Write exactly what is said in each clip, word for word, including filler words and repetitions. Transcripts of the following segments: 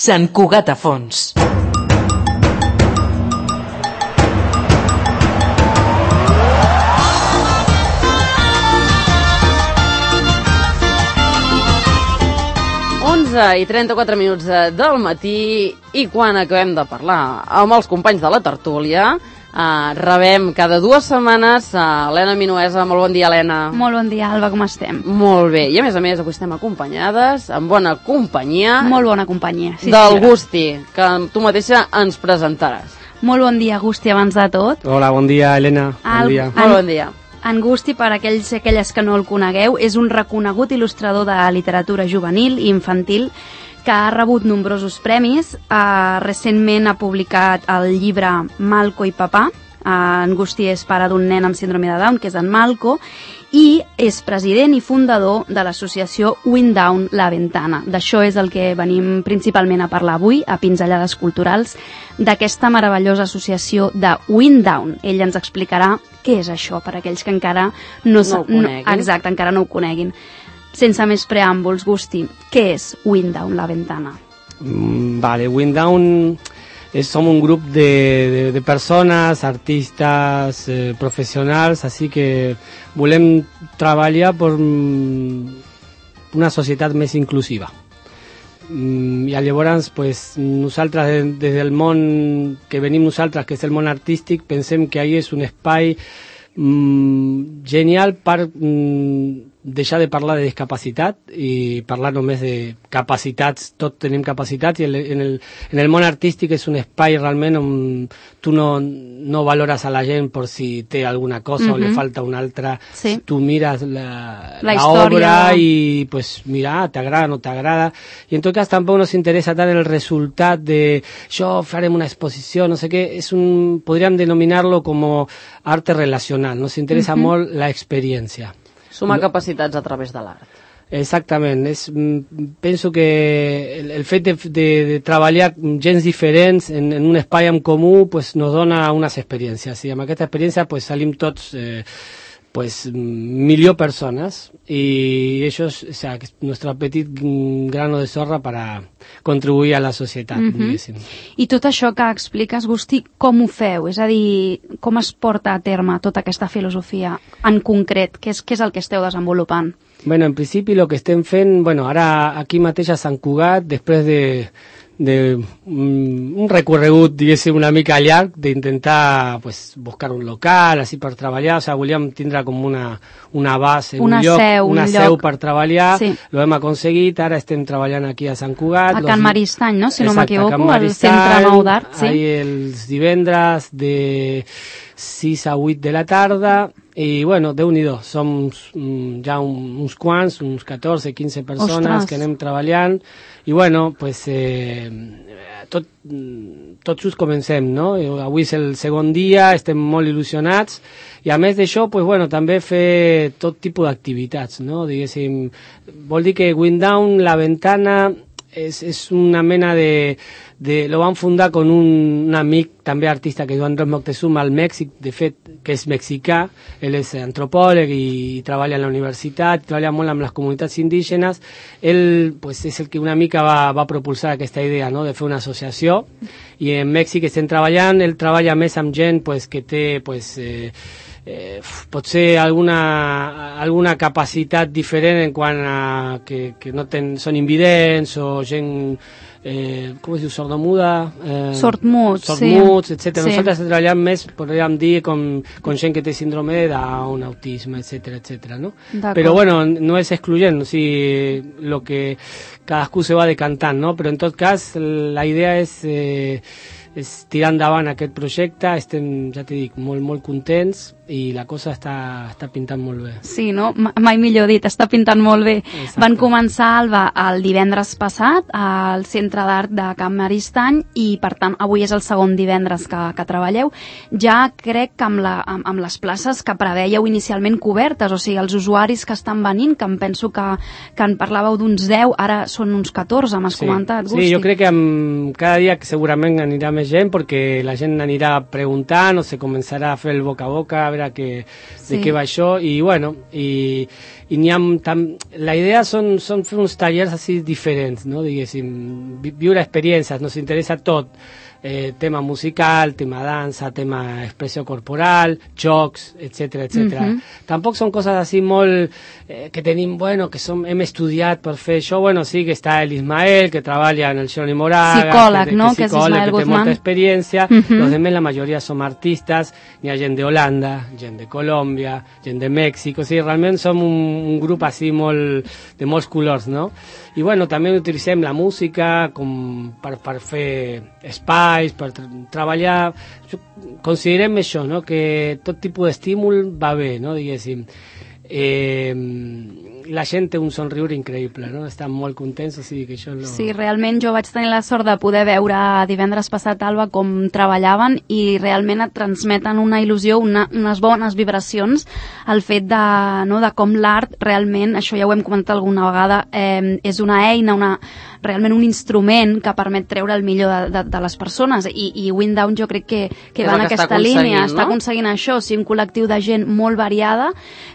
Sant Cugat a fons. onze i trenta-quatre minuts del matí, i quan acabem de parlar amb els companys de la tertúlia, Uh, rebem cada dues setmanes a Helena Minuesa. Molt bon dia, Helena. Molt bon dia, Alba, com estem? Molt bé, i a més a més avui estem acompanyades, amb bona companyia. Molt bona companyia, sí. Del Gusti, que tu mateixa ens presentaràs. Molt bon dia, Gusti, abans de tot. Hola, bon dia, Helena. Bon El, dia. En, Molt bon dia. En Gusti, per aquells i aquelles que no el conegueu, és un reconegut il·lustrador de literatura juvenil i infantil que ha rebut nombrosos premis. Uh, recentment ha publicat el llibre Malco i Papà. Uh, en Gusti és pare d'un nen amb síndrome de Down, que és en Malco, i és president i fundador de l'associació Wind Down La Ventana. D'això és el que venim principalment a parlar avui, a Pinzellades Culturals, d'aquesta meravellosa associació de Wind Down. Ell ens explicarà què és això, per aquells que encara no, no ho coneguin. No, exacte, encara no ho coneguin. Sense més preàmbuls, Gusti, què és Wind Down La Ventana? Mm, vale, Wind Down es, som un grup de, de, de persones, artistes, eh, professionals, així que volem treballar per mm, una societat més inclusiva. Mm, I llavors, pues, nosaltres, des, des del món que venim nosaltres, que és el món artístic, pensem que ahí és un espai mm, genial per mm, deixar de parlar de discapacitat i parlar només de capacitats. Tots tenim capacitats i en el, en el món artístic és un espai realment on tu no, no valores a la gent per si té alguna cosa uh-huh. o li falta una altra. Sí. Tu mires la, la, la obra i pues mira, t'agrada, no t'agrada. I en tot cas tampoc nos interessa tant el resultat de jo farem una exposició, no sé què. És un, podríem denominar-lo com arte relacional. Nos interessa uh-huh. molt la experiència. Sumar capacitats a través de l'art. Exactament. És, penso que el, el fet de, de, de treballar gens diferents en, en un espai en comú pues, nos dona unes experiències. I amb aquesta experiència pues, salim tots eh, pues, millor persones i això és o sea, nuestro petit grano de sorra para contribuir a la societat. Uh-huh. I tot això que expliques, Gusti, com ho feu? És a dir, com es porta a terme tota aquesta filosofia en concret? Què és, què és el que esteu desenvolupant? Bueno, en principi el que estem fent, bueno, ara aquí mateix a Sant Cugat, després de de um, un recorregut, diguéssim, una mica llarg, d'intentar pues, buscar un local, així per treballar, o sigui, volíem tindre com una, una base, una un lloc, seu, una un seu lloc. per treballar, sí. Lo hem aconseguit, ara estem treballant aquí a Sant Cugat. A Can los... Maristany, no? Si no m'equivoco, al Centre Nou d'Art. Sí. Ahí els divendres de sis a vuit de la tarda, i bueno, Déu-n'hi-do, som mm, ja un, uns quants, uns catorze, quinze persones Ostres. Que anem treballant, i bueno, pues, eh, tot, tot just comencem, no? Avui és el segon dia, estem molt il·lusionats, i a més d'això, pues, bueno, també fer tot tipus d'activitats, no? Diguéssim, vol dir que Wind Down La Ventana és, és una mena de, de... Lo van fundar con un, un amic, també artista, que diu Andrés Moctezuma, al Mèxic, de fet, que és mexicà, ell és antropòleg i, i treballa a la universitat, treballa molt amb les comunitats indígenes. Ell pues, és el que una mica va, va propulsar aquesta idea, no?, de fer una associació, i en Mèxic estem treballant, ell treballa més amb gent pues, que té... Pues, eh, Eh, potser alguna, alguna capacitat diferent en quant a que, que no ten, són invidents o gent, eh, com es diu, sordomuda? Eh, Sortmuts, sortmuts, sí. etcètera. Sí. Nosaltres treballem més, podríem dir, com, com gent que té síndrome de Down, autisme, etcètera, etcètera, no? Però bueno, no és excluyent, o sigui, lo que cadascú se va decantant, no? Però en tot cas, la idea és... Eh, és tirar endavant aquest projecte, estem, ja t'he dit, molt, molt contents i la cosa està, està pintant molt bé. Sí, no? Mai millor dit, està pintant molt bé. Exacte. Van començar, Alba, el divendres passat al Centre d'Art de Can Maristany i, per tant, avui és el segon divendres que, que treballeu. Ja crec que amb, la, amb, amb les places que preveieu inicialment cobertes, o sigui, els usuaris que estan venint, que em penso que, que en parlàveu d'uns deu, ara són uns catorze, m'has sí. comentat, Gusti. Sí, jo crec que amb, cada dia que segurament anirà més més gent perquè la gent anirà preguntant o se començarà a fer el boca a boca a veure que, sí. de què va això i bueno, i, i n'hi ha tam, la idea són, són fer uns tallers així diferents, no? Diguéssim, viure experiències, nos interessa tot. Eh, tema musical, tema dansa, tema expressió corporal, jocs, etcètera, etcètera. Uh-huh. Tampoc són coses així molt eh, que tenim, bueno, que som, hem estudiat per fer això. Bueno, sí que està el Ismael, que treballa en el Johnny Moraga, psicòleg, que, no? que, que és Ismael que té Guzmán. molta experiència. Uh-huh. Los demás, la majoria som artistes. N'hi ha gent d'Holanda, gent de Colòmbia, gent de Mèxic. O sigui, realment som un, un grup així molt, de molts colors, no? I bueno, també utilitzem la música com per, per fer espais, per tra treballar. Considerem això, no? Que tot tipus d'estímul va bé, no? Diguéssim. Eh, la gent té un somriure increïble, no? Estan molt contents, o sigui que això no... Sí, realment jo vaig tenir la sort de poder veure divendres passat, Alba, com treballaven i realment et transmeten una il·lusió, una, unes bones vibracions, el fet de, no, de com l'art realment, això ja ho hem comentat alguna vegada, eh, és una eina, una, realment un instrument que permet treure el millor de, de, de les persones i, i Windown jo crec que, que va en aquesta línia, no? Està aconseguint això, o sigui, un col·lectiu de gent molt variada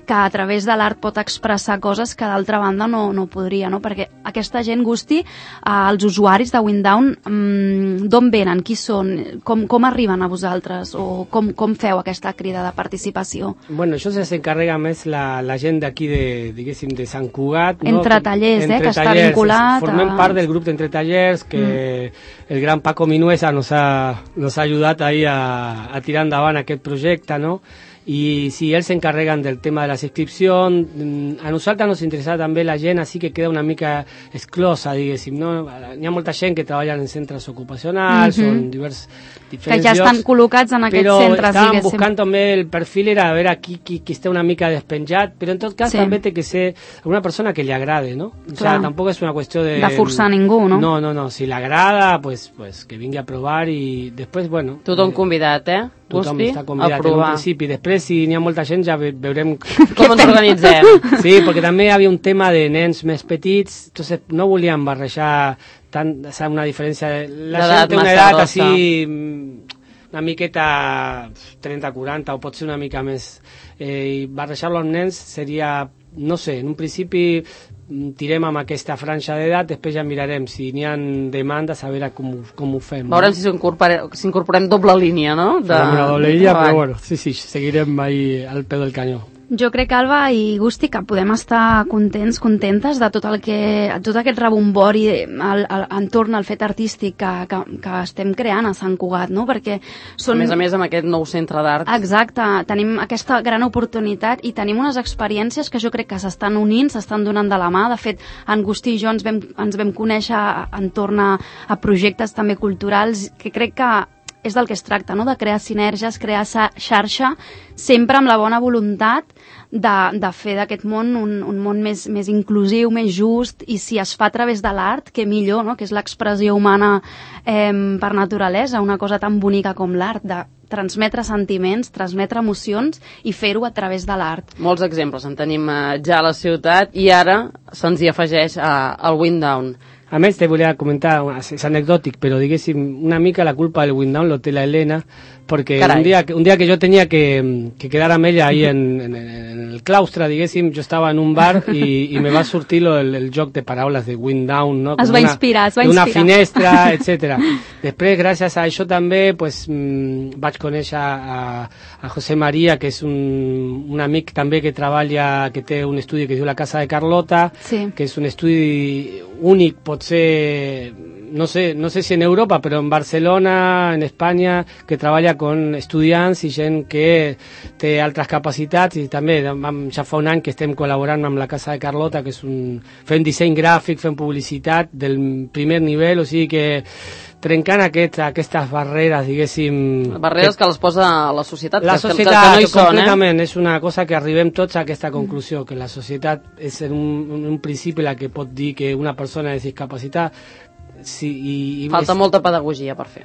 que a través de l'art pot expressar coses que d'altra banda no, no podria, no? Perquè aquesta gent, Gusti, eh, els usuaris de Windown, mm, d'on venen, qui són, com, com arriben a vosaltres o com, com feu aquesta crida de participació? Bueno, això s'encarrega més la, la gent d'aquí de, diguéssim, de Sant Cugat, no? Entre tallers, Entre eh, que tallers, està vinculat. Formem a... part del grup d'Entre Tallers que mm. el gran Paco Minuesa nos ha, nos ha ajudat ahí a, a tirar endavant aquest projecte, no? I sí, ells s'encarreguen del tema de les inscripcions. A nosaltres ens interessa també la gent, així que queda una mica exclosa, diguéssim, no? Hi ha molta gent que treballa en centres ocupacionals, mm-hmm. o en divers, diferents que ja estan llocs, col·locats en aquests però centres, estàvem diguéssim. buscant també el perfil, era a veure qui, qui, qui està una mica despenjat, però en tot cas sí. també té que ser una persona que li agrade, no? O sea, tampoc és una qüestió de... de forçar ningú, no? No, no, no, si l'agrada, pues, pues que vingui a provar i després, bueno... Tothom eh, convidat, eh? Tothom Gusti, està convidat en un principi. Després, si n'hi ha molta gent, ja ve veurem com ens organitzem. Sí, perquè també hi havia un tema de nens més petits, entonces no volíem barrejar tant, o sea, una diferència... La gent té una edat així, una miqueta trenta quaranta, o pot ser una mica més. Eh, I barrejar-lo amb nens seria, no sé, en un principi tirem amb aquesta franja d'edat, després ja mirarem si n'hi ha demandes, a veure com, com ho fem. Veurem no? si s'incorporem doble línia, no? De, una doble línia, però bueno, sí, sí, seguirem ahí al peu del canyó. Jo crec, Alba i Gusti, que podem estar contents, contentes de tot el que, tot aquest rebombori al, al, entorn al fet artístic que, que, que estem creant a Sant Cugat, no? Perquè són... A més a més, amb aquest nou centre d'art. Exacte, tenim aquesta gran oportunitat i tenim unes experiències que jo crec que s'estan unint, s'estan donant de la mà. De fet, en Gusti i jo ens vam, ens vam conèixer entorn a, a projectes també culturals que crec que és del que es tracta, no? De crear sinergies, crear xarxa, sempre amb la bona voluntat de, de fer d'aquest món un, un món més, més inclusiu, més just, i si es fa a través de l'art, que millor, no? Que és l'expressió humana eh, per naturalesa, una cosa tan bonica com l'art, de transmetre sentiments, transmetre emocions i fer-ho a través de l'art. Molts exemples en tenim eh, ja a la ciutat i ara se'ns hi afegeix eh, el Windown. A més, te volia comentar, és anecdòtic, però diguéssim, una mica la culpa del Windown lo té la Elena, perquè un dia, un dia que jo tenia que, que quedar amb ella ahí en, en, en el claustre, diguéssim, jo estava en un bar i, i me va sortir lo, el, el joc de paraules de Windown, no? Es va una, inspirar, es va inspirar. Una finestra, etcètera. Després, gràcies a això també, pues, mmm, vaig conèixer a, a José María, que és un, un amic també que treballa, que té un estudi que es diu La Casa de Carlota, sí. Que és un estudi únic, pot ser, no sé, no sé si en Europa, però en Barcelona, en Espanya, que treballa con estudiants i gent que té altres capacitats, i també ja fa un any que estem col·laborant amb la Casa de Carlota, que és un, fent disseny gràfic, fent publicitat del primer nivell, o sigui que trencant aquest, aquestes barreres, diguéssim... Barreres que, que les posa la societat, la que, societat, que, que no hi són, completament, eh? És una cosa que arribem tots a aquesta conclusió, que la societat és en un, en un principi la que pot dir que una persona és discapacitat. Sí, i, i Falta és... molta pedagogia per fer.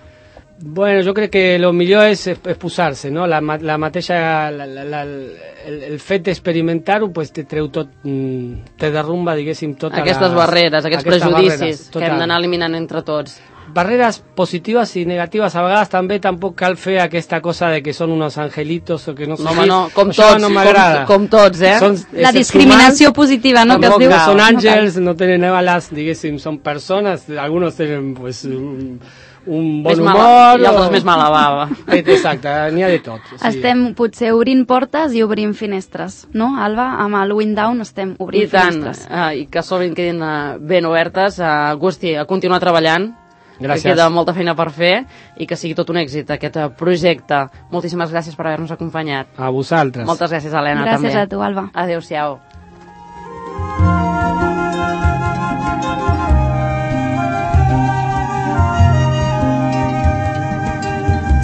Bueno, jo crec que el millor és, és posar-se, no? La, la mateixa, la, la, la, el, el fet d'experimentar-ho, pues, te treu tot, te derrumba, diguéssim, tota aquestes les, barreres, aquests aquestes prejudicis barreres, que hem d'anar eliminant entre tots. barreres positives i negatives. A vegades també tampoc cal fer aquesta cosa de que són uns angelitos o que no sé. No, home, no, com això tots, no m'agrada. com, com tots, eh? Són la discriminació humans, positiva, no? Que es diu. Que són àngels, no tenen ales, diguéssim, són persones, alguns tenen, pues, un, un bon humor. Mala, I altres o... més mala bava. Exacte, n'hi ha de tot. Sí. Estem potser obrint portes i obrim finestres, no, Alba? Amb el Wind Down estem obrint I tant, finestres. Uh, i que s'obrin, quedin uh, ben obertes. Uh, Agustí, a continuar treballant. Gràcies. Que queda molta feina per fer i que sigui tot un èxit aquest projecte. Moltíssimes gràcies per haver-nos acompanyat. A vosaltres. Moltes gràcies, Helena, gràcies també. Gràcies a tu, Alba. Adéu-siau.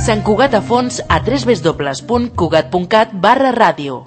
Sant Cugat a fons a w w w punt cugat punt cat barra ràdio.